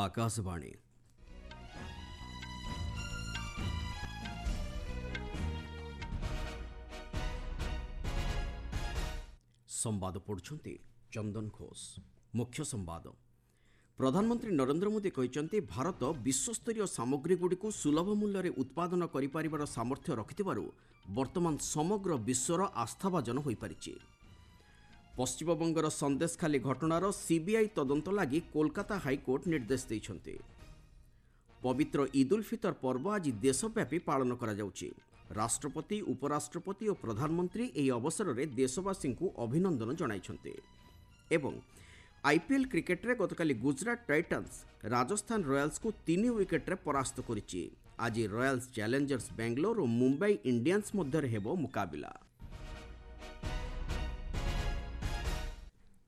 ଆକାଶବାଣୀ। ସମ୍ବାଦ ପଢ଼ୁଛନ୍ତି ଚନ୍ଦନ ଘୋଷ। ମୁଖ୍ୟ ସମ୍ବାଦ। ପ୍ରଧାନମନ୍ତ୍ରୀ ନରେନ୍ଦ୍ର ମୋଦି କହିଛନ୍ତି, ଭାରତ ବିଶ୍ୱସ୍ତରୀୟ ସାମଗ୍ରୀଗୁଡ଼ିକୁ ସୁଲଭ ମୂଲ୍ୟରେ ଉତ୍ପାଦନ କରିପାରିବାର ସାମର୍ଥ୍ୟ ରଖିଥିବାରୁ ବର୍ତ୍ତମାନ ସମଗ୍ର ବିଶ୍ୱର ଆସ୍ଥାଭାଜନ ହୋଇପାରିଛି। ପଶ୍ଚିମବଙ୍ଗର ସନ୍ଦେଶଖାଲି ଘଟଣାର ସିବିଆଇ ତଦନ୍ତ ଲାଗି କୋଲକାତା ହାଇକୋର୍ଟ ନିର୍ଦ୍ଦେଶ ଦେଇଛନ୍ତି। ପବିତ୍ର ଇଦ୍ ଉଲ୍ ଫିତର ପର୍ବ ଆଜି ଦେଶବ୍ୟାପୀ ପାଳନ କରାଯାଉଛି। ରାଷ୍ଟ୍ରପତି, ଉପରାଷ୍ଟ୍ରପତି ଓ ପ୍ରଧାନମନ୍ତ୍ରୀ ଏହି ଅବସରରେ ଦେଶବାସୀଙ୍କୁ ଅଭିନନ୍ଦନ ଜଣାଇଛନ୍ତି। ଏବଂ ଆଇପିଏଲ୍ କ୍ରିକେଟରେ ଗତକାଲି ଗୁଜରାଟ ଟାଇଟନ୍ସ ରାଜସ୍ଥାନ ରୟାଲ୍ସକୁ 3 ୱିକେଟ୍ରେ ପରାସ୍ତ କରିଛି। ଆଜି ରୟାଲ୍ସ ଚ୍ୟାଲେଞ୍ଜର୍ସ ବାଙ୍ଗାଲୋର ଓ ମୁମ୍ବାଇ ଇଣ୍ଡିଆନ୍ସ ମଧ୍ୟରେ ହେବ ମୁକାବିଲା।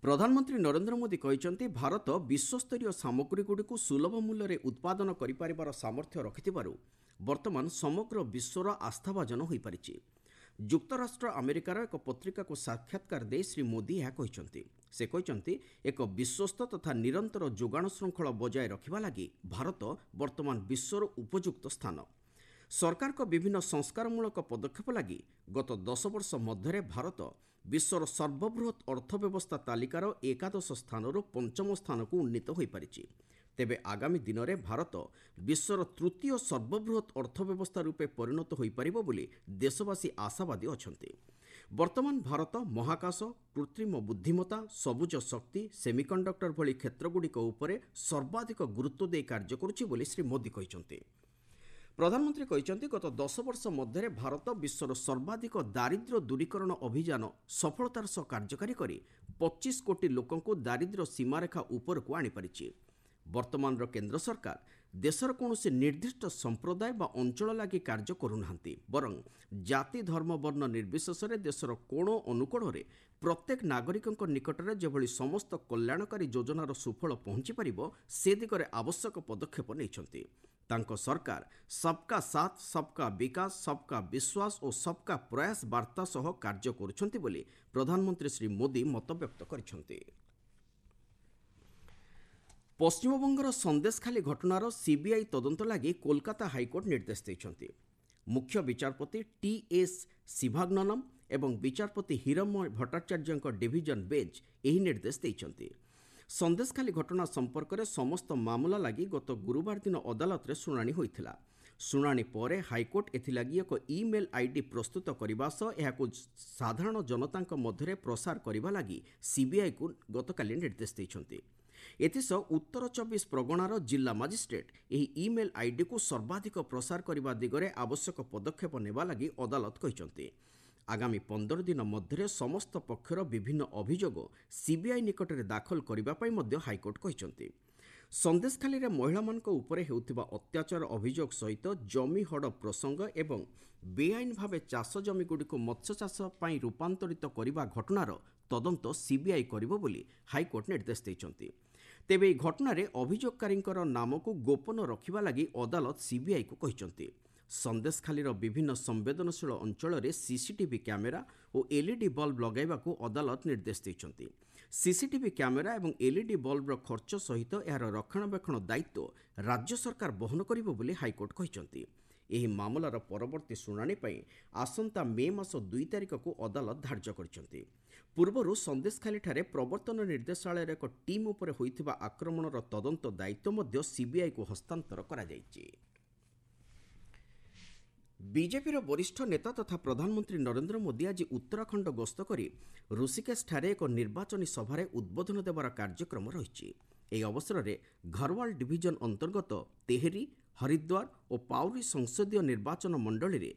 ପ୍ରଧାନମନ୍ତ୍ରୀ ନରେନ୍ଦ୍ର ମୋଦି କହିଛନ୍ତି, ଭାରତ ବିଶ୍ୱସ୍ତରୀୟ ସାମଗ୍ରୀଗୁଡ଼ିକୁ ସୁଲଭ ମୂଲ୍ୟରେ ଉତ୍ପାଦନ କରିପାରିବାର ସାମର୍ଥ୍ୟ ରଖିଥିବାରୁ ବର୍ତ୍ତମାନ ସମଗ୍ର ବିଶ୍ୱର ଆସ୍ଥାଭାଜନ ହୋଇପାରିଛି। ଯୁକ୍ତରାଷ୍ଟ୍ର ଆମେରିକାର ଏକ ପତ୍ରିକାକୁ ସାକ୍ଷାତକାର ଦେଇ ଶ୍ରୀ ମୋଦି ଏହା କହିଛନ୍ତି। ସେ କହିଛନ୍ତି, ଏକ ବିଶ୍ୱସ୍ତ ତଥା ନିରନ୍ତର ଯୋଗାଣ ଶୃଙ୍ଖଳ ବଜାୟ ରଖିବା ଲାଗି ଭାରତ ବର୍ତ୍ତମାନ ବିଶ୍ୱର ଉପଯୁକ୍ତ ସ୍ଥାନ। ସରକାରଙ୍କ ବିଭିନ୍ନ ସଂସ୍କାରମୂଳକ ପଦକ୍ଷେପ ଲାଗି ଗତ 10 ବର୍ଷ ମଧ୍ୟରେ ଭାରତ ବିଶ୍ୱର ସର୍ବବୃହତ୍ ଅର୍ଥବ୍ୟବସ୍ଥା ତାଲିକାର 11 ସ୍ଥାନରୁ 5ମ ସ୍ଥାନକୁ ଉନ୍ନୀତ ହୋଇପାରିଛି। ତେବେ ଆଗାମୀ ଦିନରେ ଭାରତ ବିଶ୍ୱର ତୃତୀୟ ସର୍ବବୃହତ୍ ଅର୍ଥବ୍ୟବସ୍ଥା ରୂପେ ପରିଣତ ହୋଇପାରିବ ବୋଲି ଦେଶବାସୀ ଆଶାବାଦୀ ଅଛନ୍ତି। ବର୍ତ୍ତମାନ ଭାରତ ମହାକାଶ, କୃତ୍ରିମ ବୁଦ୍ଧିମତ୍ତା, ସବୁଜ ଶକ୍ତି, ସେମିକଣ୍ଡକ୍ଟର ଭଳି କ୍ଷେତ୍ରଗୁଡ଼ିକ ଉପରେ ସର୍ବାଧିକ ଗୁରୁତ୍ୱ ଦେଇ କାର୍ଯ୍ୟ କରୁଛି ବୋଲି ଶ୍ରୀ ମୋଦି କହିଛନ୍ତି। ପ୍ରଧାନମନ୍ତ୍ରୀ କହିଛନ୍ତି, ଗତ 10 ବର୍ଷ ମଧ୍ୟରେ ଭାରତ ବିଶ୍ୱର ସର୍ବାଧିକ ଦାରିଦ୍ର୍ୟ ଦୂରୀକରଣ ଅଭିଯାନ ସଫଳତାର ସହ କାର୍ଯ୍ୟକାରୀ କରି 25 କୋଟି ଲୋକଙ୍କୁ ଦାରିଦ୍ର୍ୟ ସୀମାରେଖା ଉପରକୁ ଆଣିପାରିଛି। ବର୍ତ୍ତମାନର କେନ୍ଦ୍ର ସରକାର ଦେଶର କୌଣସି ନିର୍ଦ୍ଦିଷ୍ଟ ସମ୍ପ୍ରଦାୟ ବା ଅଞ୍ଚଳ ଲାଗି କାର୍ଯ୍ୟ କରୁନାହାନ୍ତି, ବରଂ ଜାତି, ଧର୍ମ, ବର୍ଣ୍ଣ ନିର୍ବିଶେଷରେ ଦେଶର କୋଣ ଅନୁକୋଣରେ ପ୍ରତ୍ୟେକ ନାଗରିକଙ୍କ ନିକଟରେ ଯେଭଳି ସମସ୍ତ କଲ୍ୟାଣକାରୀ ଯୋଜନାର ସୁଫଳ ପହଞ୍ଚିପାରିବ ସେ ଦିଗରେ ଆବଶ୍ୟକ ପଦକ୍ଷେପ ନେଇଛନ୍ତି। ତାଙ୍କ ସରକାର ସବକା ସାଥ, ସବକା ବିକାଶ, ସବକା ବିଶ୍ୱାସ ଓ ସବକା ପ୍ରୟାସ ବାର୍ତ୍ତା ସହ କାର୍ଯ୍ୟ କରୁଛନ୍ତି ବୋଲି ପ୍ରଧାନମନ୍ତ୍ରୀ ଶ୍ରୀ ମୋଦି ମତବ୍ୟକ୍ତ କରିଛନ୍ତି। ପଶ୍ଚିମବଙ୍ଗର ସନ୍ଦେଶଖାଲି ଘଟଣାର ସିବିଆଇ ତଦନ୍ତ ଲାଗି କୋଲକାତା ହାଇକୋର୍ଟ ନିର୍ଦ୍ଦେଶ ଦେଇଛନ୍ତି। ମୁଖ୍ୟ ବିଚାରପତି ଟି ଏସ୍ ଶିଭାଗ୍ନନମ୍ ଏବଂ ବିଚାରପତି ହିରମୟ ଭଟ୍ଟାଚାର୍ଯ୍ୟଙ୍କ ଡିଭିଜନ ବେଞ୍ଚ ଏହି ନିର୍ଦ୍ଦେଶ ଦେଇଛନ୍ତି। ସନ୍ଦେଶଖାଲି ଘଟଣା ସମ୍ପର୍କରେ ସମସ୍ତ ମାମଲା ଲାଗି ଗତ ଗୁରୁବାର ଦିନ ଅଦାଲତରେ ଶୁଣାଣି ହୋଇଥିଲା। ଶୁଣାଣି ପରେ ହାଇକୋର୍ଟ ଏଥିଲାଗି ଏକ ଇମେଲ୍ ଆଇଡି ପ୍ରସ୍ତୁତ କରିବା ସହ ଏହାକୁ ସାଧାରଣ ଜନତାଙ୍କ ମଧ୍ୟରେ ପ୍ରସାର କରିବା ଲାଗି ସିବିଆଇକୁ ଗତକାଲି ନିର୍ଦ୍ଦେଶ ଦେଇଛନ୍ତି। ଏଥିସହ ଉତ୍ତର 24 ପ୍ରଗଣାର ଜିଲ୍ଲା ମାଜିଷ୍ଟ୍ରେଟ୍ ଏହି ଇମେଲ୍ ଆଇଡିକୁ ସର୍ବାଧିକ ପ୍ରସାର କରିବା ଦିଗରେ ଆବଶ୍ୟକ ପଦକ୍ଷେପ ନେବା ଲାଗି ଅଦାଲତ କହିଛନ୍ତି। ଆଗାମୀ 15 ଦିନ ମଧ୍ୟରେ ସମସ୍ତ ପକ୍ଷର ବିଭିନ୍ନ ଅଭିଯୋଗ ସିବିଆଇ ନିକଟରେ ଦାଖଲ କରିବା ପାଇଁ ମଧ୍ୟ ହାଇକୋର୍ଟ କହିଛନ୍ତି। ସନ୍ଦେଶଖାଲିରେ ମହିଳାମାନଙ୍କ ଉପରେ ହେଉଥିବା ଅତ୍ୟାଚାର ଅଭିଯୋଗ ସହିତ ଜମି ହଡ଼ପ ପ୍ରସଙ୍ଗ ଏବଂ ବେଆଇନ ଭାବେ ଚାଷ ଜମିଗୁଡ଼ିକୁ ମତ୍ସ୍ୟଚାଷ ପାଇଁ ରୂପାନ୍ତରିତ କରିବା ଘଟଣାର ତଦନ୍ତ ସିବିଆଇ କରିବ ବୋଲି ହାଇକୋର୍ଟ ନିର୍ଦ୍ଦେଶ ଦେଇଛନ୍ତି। ତେବେ ଏହି ଘଟଣାରେ ଅଭିଯୋଗକାରୀଙ୍କର ନାମକୁ ଗୋପନ ରଖିବା ଲାଗି ଅଦାଲତ ସିବିଆଇକୁ କହିଛନ୍ତି। ସନ୍ଦେଶଖାଲିର ବିଭିନ୍ନ ସମ୍ବେଦନଶୀଳ ଅଞ୍ଚଳରେ ସିସିଟିଭି କ୍ୟାମେରା ଓ ଏଲ୍ଇଡି ବଲ୍ବ ଲଗାଇବାକୁ ଅଦାଲତ ନିର୍ଦ୍ଦେଶ ଦେଇଛନ୍ତି। ସିସିଟିଭି କ୍ୟାମେରା ଏବଂ ଏଲ୍ଇଡି ବଲ୍ବର ଖର୍ଚ୍ଚ ସହିତ ଏହାର ରକ୍ଷଣାବେକ୍ଷଣ ଦାୟିତ୍ୱ ରାଜ୍ୟ ସରକାର ବହନ କରିବ ବୋଲି ହାଇକୋର୍ଟ କହିଛନ୍ତି। ଏହି ମାମଲାର ପରବର୍ତ୍ତୀ ଶୁଣାଣି ପାଇଁ ଆସନ୍ତା ମେ ମାସ 2 ତାରିଖକୁ ଅଦାଲତ ଧାର୍ଯ୍ୟ କରିଛନ୍ତି। ପୂର୍ବରୁ ସନ୍ଦେଶଖାଲିଠାରେ ପ୍ରବର୍ତ୍ତନ ନିର୍ଦ୍ଦେଶାଳୟର ଏକ ଟିମ୍ ଉପରେ ହୋଇଥିବା ଆକ୍ରମଣର ତଦନ୍ତ ଦାୟିତ୍ୱ ମଧ୍ୟ ସିବିଆଇକୁ ହସ୍ତାନ୍ତର କରାଯାଇଛି। ବିଜେପିର ବରିଷ୍ଠ ନେତା ତଥା ପ୍ରଧାନମନ୍ତ୍ରୀ ନରେନ୍ଦ୍ର ମୋଦି ଆଜି ଉତ୍ତରାଖଣ୍ଡ ଗସ୍ତ କରି ଋଷିକେଶଠାରେ ଏକ ନିର୍ବାଚନୀ ସଭାରେ ଉଦ୍ବୋଧନ ଦେବାର କାର୍ଯ୍ୟକ୍ରମ ରହିଛି। ଏହି ଅବସରରେ ଘରୱାଲ ଡିଭିଜନ ଅନ୍ତର୍ଗତ ତେହେରି, ହରିଦ୍ୱାର ଓ ପାଉରି ସଂସଦୀୟ ନିର୍ବାଚନ ମଣ୍ଡଳୀରେ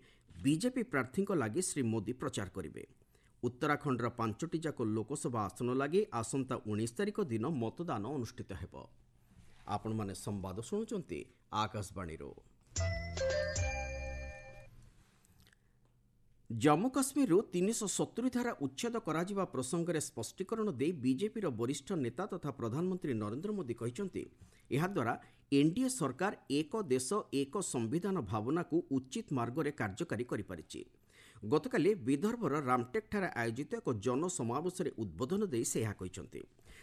ବିଜେପି ପ୍ରାର୍ଥୀଙ୍କ ଲାଗି ଶ୍ରୀ ମୋଦି ପ୍ରଚାର କରିବେ। ଉତ୍ତରାଖଣ୍ଡର 5ଟି ଯାକ ଲୋକସଭା ଆସନ ଲାଗି ଆସନ୍ତା 19 ତାରିଖ ଦିନ ମତଦାନ ଅନୁଷ୍ଠିତ ହେବ। ଆପଣମାନେ ସମ୍ବାଦ ଶୁଣୁଛନ୍ତି ଆକାଶବାଣୀରୁ। ଜମ୍ମୁ କାଶ୍ମୀରରୁ 370 ଧାରା ଉଚ୍ଛେଦ କରାଯିବା ପ୍ରସଙ୍ଗରେ ସ୍ପଷ୍ଟୀକରଣ ଦେଇ ବିଜେପିର ବରିଷ୍ଠ ନେତା ତଥା ପ୍ରଧାନମନ୍ତ୍ରୀ ନରେନ୍ଦ୍ର ମୋଦି କହିଛନ୍ତି, ଏହାଦ୍ୱାରା ଏନ୍ଡିଏ ସରକାର ଏକ ଦେଶ ଏକ ସମ୍ବିଧାନ ଭାବନାକୁ ଉଚିତ ମାର୍ଗରେ କାର୍ଯ୍ୟକାରୀ କରିପାରିଛି। ଗତକାଲି ବିଦର୍ଭର ରାମଟେକ୍ଠାରେ ଆୟୋଜିତ ଏକ ଜନସମାବେଶରେ ଉଦ୍ବୋଧନ ଦେଇ ସେ ଏହା କହିଛନ୍ତି।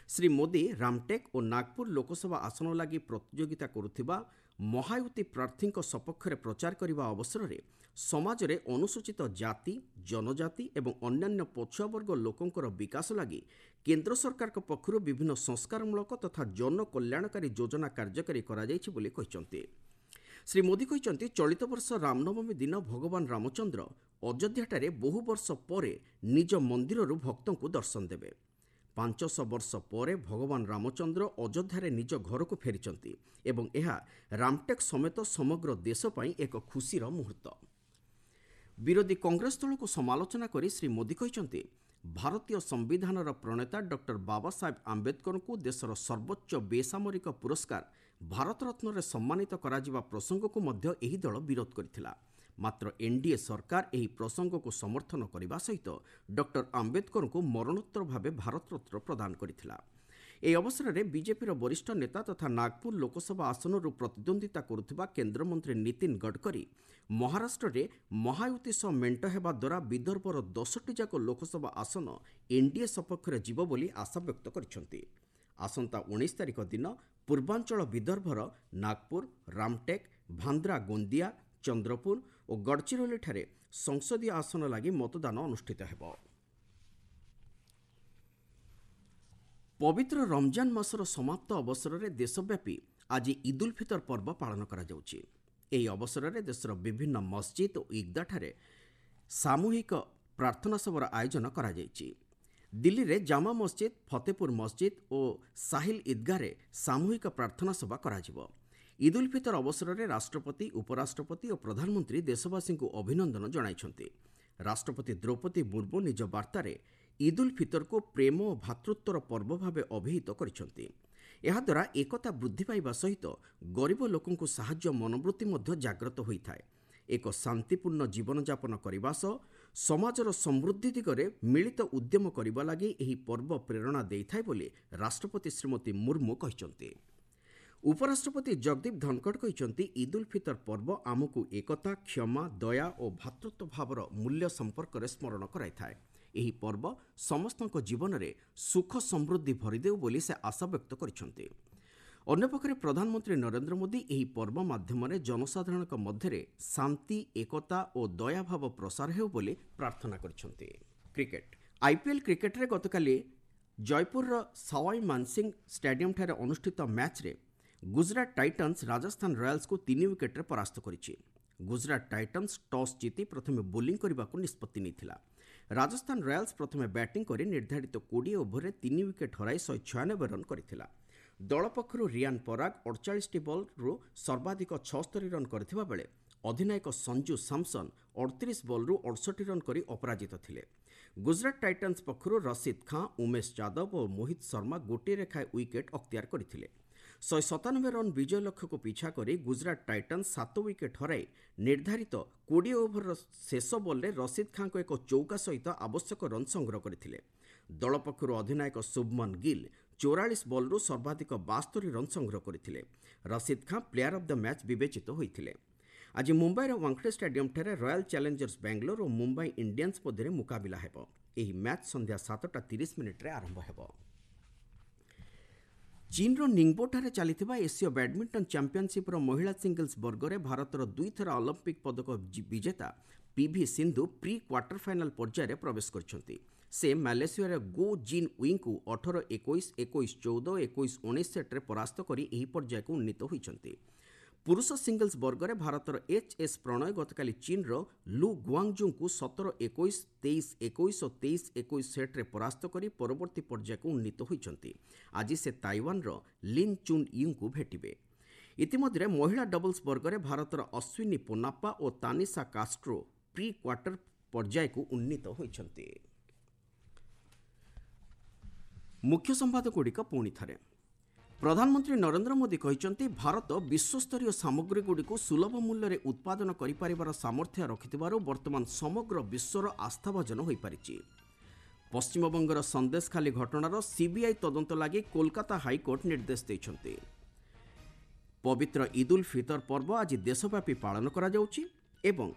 ଶ୍ରୀ ମୋଦି ରାମଟେକ୍ ଓ ନାଗପୁର ଲୋକସଭା ଆସନ ଲାଗି ପ୍ରତିଯୋଗିତା କରୁଥିବା ମହାୟୁତି ପ୍ରାର୍ଥୀଙ୍କ ସପକ୍ଷରେ ପ୍ରଚାର କରିବା ଅବସରରେ ସମାଜରେ ଅନୁସୂଚିତ ଜାତି, ଜନଜାତି ଏବଂ ଅନ୍ୟାନ୍ୟ ପଛୁଆବର୍ଗ ଲୋକଙ୍କର ବିକାଶ ଲାଗି କେନ୍ଦ୍ର ସରକାରଙ୍କ ପକ୍ଷରୁ ବିଭିନ୍ନ ସଂସ୍କାରମୂଳକ ତଥା ଜନକଲ୍ୟାଣକାରୀ ଯୋଜନା କାର୍ଯ୍ୟକାରୀ କରାଯାଇଛି ବୋଲି କହିଛନ୍ତି। ଶ୍ରୀ ମୋଦି କହିଛନ୍ତି, ଚଳିତ ବର୍ଷ ରାମନବମୀ ଦିନ ଭଗବାନ ରାମଚନ୍ଦ୍ର ଅଯୋଧ୍ୟାଠାରେ ବହୁ ବର୍ଷ ପରେ ନିଜ ମନ୍ଦିରରୁ ଭକ୍ତଙ୍କୁ ଦର୍ଶନ ଦେବେ। 500 ବର୍ଷ ପରେ ଭଗବାନ ରାମଚନ୍ଦ୍ର ଅଯୋଧ୍ୟାରେ ନିଜ ଘରକୁ ଫେରିଛନ୍ତି ଏବଂ ଏହା ରାମଟେକ୍ ସମେତ ସମଗ୍ର ଦେଶ ପାଇଁ ଏକ ଖୁସିର ମୁହୂର୍ତ୍ତ। ବିରୋଧୀ କଂଗ୍ରେସ ଦଳକୁ ସମାଲୋଚନା କରି ଶ୍ରୀ ମୋଦି କହିଛନ୍ତି, ଭାରତୀୟ ସମ୍ବିଧାନର ପ୍ରଣେତା ଡକ୍ଟର ବାବାସାହେବ ଆମ୍ବେଦକରଙ୍କୁ ଦେଶର ସର୍ବୋଚ୍ଚ ବେସାମରିକ ପୁରସ୍କାର ଭାରତରତ୍ନରେ ସମ୍ମାନିତ କରାଯିବା ପ୍ରସଙ୍ଗକୁ ମଧ୍ୟ ଏହି ଦଳ ବିରୋଧ କରିଥିଲା। ମାତ୍ର ଏନ୍ଡିଏ ସରକାର ଏହି ପ୍ରସଙ୍ଗକୁ ସମର୍ଥନ କରିବା ସହିତ ଡକ୍ଟର ଆମ୍ବେଦକରଙ୍କୁ ମରଣୋତ୍ତର ଭାବେ ଭାରତରତ୍ନ ପ୍ରଦାନ କରିଥିଲା। ଏହି ଅବସରରେ ବିଜେପିର ବରିଷ୍ଠ ନେତା ତଥା ନାଗପୁର ଲୋକସଭା ଆସନରୁ ପ୍ରତିଦ୍ୱନ୍ଦ୍ୱିତା କରୁଥିବା କେନ୍ଦ୍ରମନ୍ତ୍ରୀ ନୀତିନ ଗଡ଼କରୀ ମହାରାଷ୍ଟ୍ରରେ ମହାୟୁତି ସହ ମେଣ୍ଟ ହେବା ଦ୍ୱାରା ବିଦର୍ଭର 10ଟି ଯାକ ଲୋକସଭା ଆସନ ଏନ୍ଡିଏ ସପକ୍ଷରେ ଯିବ ବୋଲି ଆଶା ବ୍ୟକ୍ତ କରିଛନ୍ତି। ଆସନ୍ତା 19 ତାରିଖ ଦିନ ପୂର୍ବାଞ୍ଚଳ ବିଦର୍ଭର ନାଗପୁର, ରାମଟେକ୍, ଭାନ୍ଦ୍ରା ଗୋନ୍ଦିଆ, ଚନ୍ଦ୍ରପୁର ଓ ଗଡ଼ଚିରୋଲିଠାରେ ସଂସଦୀୟ ଆସନ ଲାଗି ମତଦାନ ଅନୁଷ୍ଠିତ ହେବ। ପବିତ୍ର ରମଜାନ ମାସର ସମାପ୍ତ ଅବସରରେ ଦେଶବ୍ୟାପୀ ଆଜି ଇଦ୍ ଉଲ୍ ଫିତର ପର୍ବ ପାଳନ କରାଯାଉଛି। ଏହି ଅବସରରେ ଦେଶର ବିଭିନ୍ନ ମସଜିଦ୍ ଓ ଇଦ୍ଗାଠାରେ ସାମୂହିକ ପ୍ରାର୍ଥନା ସଭାର ଆୟୋଜନ କରାଯାଇଛି। ଦିଲ୍ଲୀରେ ଜାମା ମସଜିଦ୍, ଫତେପୁର ମସଜିଦ୍ ଓ ସାହିଲ ଇଦ୍ଗାରେ ସାମୂହିକ ପ୍ରାର୍ଥନା ସଭା କରାଯିବ। ଇଦ୍ ଉଲ୍ ଫିତର ଅବସରରେ ରାଷ୍ଟ୍ରପତି, ଉପରାଷ୍ଟ୍ରପତି ଓ ପ୍ରଧାନମନ୍ତ୍ରୀ ଦେଶବାସୀଙ୍କୁ ଅଭିନନ୍ଦନ ଜଣାଇଛନ୍ତି। ରାଷ୍ଟ୍ରପତି ଦ୍ରୌପଦୀ ମୁର୍ମୁ ନିଜ ବାର୍ତ୍ତାରେ ଇଦ୍ ଉଲ୍ ଫିତରକୁ ପ୍ରେମ ଓ ଭ୍ରାତୃତ୍ୱର ପର୍ବ ଭାବେ ଅଭିହିତ କରିଛନ୍ତି। ଏହାଦ୍ୱାରା ଏକତା ବୃଦ୍ଧି ପାଇବା ସହିତ ଗରିବ ଲୋକଙ୍କୁ ସାହାଯ୍ୟ ମନୋବୃତ୍ତି ମଧ୍ୟ ଜାଗ୍ରତ ହୋଇଥାଏ। ଏକ ଶାନ୍ତିପୂର୍ଣ୍ଣ ଜୀବନଯାପନ କରିବା ସହ ସମାଜର ସମୃଦ୍ଧି ଦିଗରେ ମିଳିତ ଉଦ୍ୟମ କରିବା ଲାଗି ଏହି ପର୍ବ ପ୍ରେରଣା ଦେଇଥାଏ ବୋଲି ରାଷ୍ଟ୍ରପତି ଶ୍ରୀମତୀ ମୁର୍ମୁ କହିଛନ୍ତି। ଉପରାଷ୍ଟ୍ରପତି ଜଗଦୀପ ଧନଖଡ଼ କହିଛନ୍ତି, ଇଦ୍ ଉଲ୍ ଫିତର ପର୍ବ ଆମକୁ ଏକତା, କ୍ଷମା, ଦୟା ଓ ଭ୍ରାତୃତ୍ୱ ଭାବର ମୂଲ୍ୟ ସମ୍ପର୍କରେ ସ୍ମରଣ କରାଇଥାଏ। ଏହି ପର୍ବ ସମସ୍ତଙ୍କ ଜୀବନରେ ସୁଖ ସମୃଦ୍ଧି ଭରିଦେଉ ବୋଲି ସେ ଆଶା ବ୍ୟକ୍ତ କରିଛନ୍ତି। ଅନ୍ୟପକ୍ଷରେ ପ୍ରଧାନମନ୍ତ୍ରୀ ନରେନ୍ଦ୍ର ମୋଦି ଏହି ପର୍ବ ମାଧ୍ୟମରେ ଜନସାଧାରଣଙ୍କ ମଧ୍ୟରେ ଶାନ୍ତି, ଏକତା ଓ ଦୟାଭାବ ପ୍ରସାର ହେଉ ବୋଲି ପ୍ରାର୍ଥନା କରିଛନ୍ତି। କ୍ରିକେଟ୍। ଆଇପିଏଲ୍ କ୍ରିକେଟ୍ରେ ଗତକାଲି ଜୟପୁରର ସୱାଇ ମାନସିଂ ଷ୍ଟାଡିୟମ୍ଠାରେ ଅନୁଷ୍ଠିତ ମ୍ୟାଚ୍ରେ ଗୁଜରାଟ ଟାଇଟନ୍ସ ରାଜସ୍ଥାନ ରୟାଲ୍ସକୁ 3 ୱିକେଟ୍ରେ ପରାସ୍ତ କରିଛି। ଗୁଜରାଟ ଟାଇଟନ୍ସ ଟସ୍ ଜିତି ପ୍ରଥମେ ବୋଲିଂ କରିବାକୁ ନିଷ୍ପତ୍ତି ନେଇଥିଲା। ରାଜସ୍ଥାନ ରୟାଲ୍ସ ପ୍ରଥମେ ବ୍ୟାଟିଂ କରି ନିର୍ଦ୍ଧାରିତ 20 ଓଭରରେ 3 ୱିକେଟ୍ ହରାଇ 196 ରନ୍ କରିଥିଲା। ଦଳ ପକ୍ଷରୁ ରିଆନ୍ ପରାଗ 48ଟି ବଲ୍ରୁ ସର୍ବାଧିକ 76 ରନ୍ କରିଥିବା ବେଳେ ଅଧିନାୟକ ସଞ୍ଜୁ ସାମସନ୍ 38 ବଲ୍ରୁ 68 ରନ୍ କରି ଅପରାଜିତ ଥିଲେ। ଗୁଜରାଟ ଟାଇଟନ୍ସ ପକ୍ଷରୁ ରସିଦ ଖାଁ, ଉମେଶ ଯାଦବ ଓ ମୋହିତ ଶର୍ମା ଗୋଟିଏ ଲେଖାଏଁ ୱିକେଟ୍ ଅକ୍ତିଆର କରିଥିଲେ। 197 ରନ୍ ବିଜୟ ଲକ୍ଷ୍ୟକୁ ପିଛା କରି ଗୁଜରାଟ ଟାଇଟନ୍ସ 7 ୱିକେଟ୍ ହରାଇ ନିର୍ଦ୍ଧାରିତ 20 ଓଭରର ଶେଷ ବଲ୍ରେ ରସିଦ ଖାଁଙ୍କ ଏକ ଚୌକା ସହିତ ଆବଶ୍ୟକ ରନ୍ ସଂଗ୍ରହ କରିଥିଲେ। ଦଳ ପକ୍ଷରୁ ଅଧିନାୟକ ଶୁଭମନ ଗିଲ୍ 44 ବଲ୍ରୁ ସର୍ବାଧିକ 72 ରନ୍ ସଂଗ୍ରହ କରିଥିଲେ। Rashid Khan player of the match ବିବେଚିତ ହୋଇଥିଲେ। ଆଜି ମୁମ୍ବାଇର ୱାଙ୍ଗଡେ ଷ୍ଟାଡିୟମ୍ଠାରେ ରୟାଲ୍ ଚ୍ୟାଲେଞ୍ଜର୍ସ ବାଙ୍ଗାଲୋର ଓ ମୁମ୍ବାଇ ଇଣ୍ଡିଆନ୍ସ ମଧ୍ୟରେ ମୁକାବିଲା ହେବ। ଏହି ମ୍ୟାଚ୍ ସନ୍ଧ୍ୟା 7:30 ଆରମ୍ଭ ହେବ। ଚୀନ୍ର ନିଙ୍ଗବୋଠାରେ ଚାଲିଥିବା ଏସୀୟ ବ୍ୟାଡ୍ମିଣ୍ଟନ ଚାମ୍ପିୟନସିପ୍ର ମହିଳା ସିଙ୍ଗଲ୍ସ ବର୍ଗରେ ଭାରତର ଦୁଇଥର ଅଲିମ୍ପିକ୍ ପଦକ ବିଜେତା PV Sindhu pre quarter final ପର୍ଯ୍ୟାୟରେ ପ୍ରବେଶ କରିଛନ୍ତି। ସେ ମାଲେସିଆର ଗୋ ଜିନ୍ ୱିଙ୍କୁ 18-21, 21-14, 21-19 ସେଟ୍ରେ ପରାସ୍ତ କରି ଏହି ପର୍ଯ୍ୟାୟକୁ ଉନ୍ନୀତ ହୋଇଛନ୍ତି। ପୁରୁଷ ସିଙ୍ଗଲ୍ସ ବର୍ଗରେ ଭାରତର ଏଚ୍ ଏସ୍ ପ୍ରଣୟ ଗତକାଲି ଚୀନ୍ର ଲୁ ଗୁଆଙ୍ଗଜୁଙ୍କୁ 17-21, 23-21 ଓ 23-21 ସେଟ୍ରେ ପରାସ୍ତ କରି ପରବର୍ତ୍ତୀ ପର୍ଯ୍ୟାୟକୁ ଉନ୍ନୀତ ହୋଇଛନ୍ତି। ଆଜି ସେ ତାଇୱାନର ଲିନ୍ ଚୁନ୍ ୟୁଙ୍କୁ ଭେଟିବେ। ଇତିମଧ୍ୟରେ ମହିଳା ଡବଲ୍ସ ବର୍ଗରେ ଭାରତର ଅଶ୍ୱିନୀ ପୋନାପ୍ପା ଓ ତାନିସା କାଷ୍ଟ୍ରୋ ପ୍ରି କ୍ୱାର୍ଟର ପର୍ଯ୍ୟାୟକୁ ଉନ୍ନୀତ ହୋଇଛନ୍ତି। ମୁଖ୍ୟ ସମ୍ବାଦଗୁଡ଼ିକ ପୁଣି ଥରେ। ପ୍ରଧାନମନ୍ତ୍ରୀ ନରେନ୍ଦ୍ର ମୋଦି କହିଛନ୍ତି, ଭାରତ ବିଶ୍ୱସ୍ତରୀୟ ସାମଗ୍ରୀଗୁଡ଼ିକୁ ସୁଲଭ ମୂଲ୍ୟରେ ଉତ୍ପାଦନ କରିପାରିବାର ସାମର୍ଥ୍ୟ ରଖିଥିବାରୁ ବର୍ତ୍ତମାନ ସମଗ୍ର ବିଶ୍ୱର ଆସ୍ଥାଭାଜନ ହୋଇପାରିଛି। ପଶ୍ଚିମବଙ୍ଗର ସନ୍ଦେଶଖାଲି ଘଟଣାର ସିବିଆଇ ତଦନ୍ତ ଲାଗି କୋଲକାତା ହାଇକୋର୍ଟ ନିର୍ଦ୍ଦେଶ ଦେଇଛନ୍ତି। ପବିତ୍ର ଇଦ୍ ଉଲ୍ ଫିତର ପର୍ବ ଆଜି ଦେଶବ୍ୟାପୀ ପାଳନ କରାଯାଉଛି ଏବଂ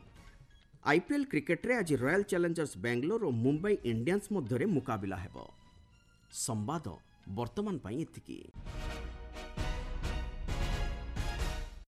ଆଇପିଏଲ୍ କ୍ରିକେଟ୍ରେ ଆଜି ରୟାଲ୍ ଚ୍ୟାଲେଞ୍ଜର୍ସ ବାଙ୍ଗାଲୋର ଓ ମୁମ୍ବାଇ ଇଣ୍ଡିଆନ୍ସ ମଧ୍ୟରେ ମୁକାବିଲା ହେବ। ସମ୍ବାଦ ବର୍ତ୍ତମାନ ପାଇଁ ଏତିକି।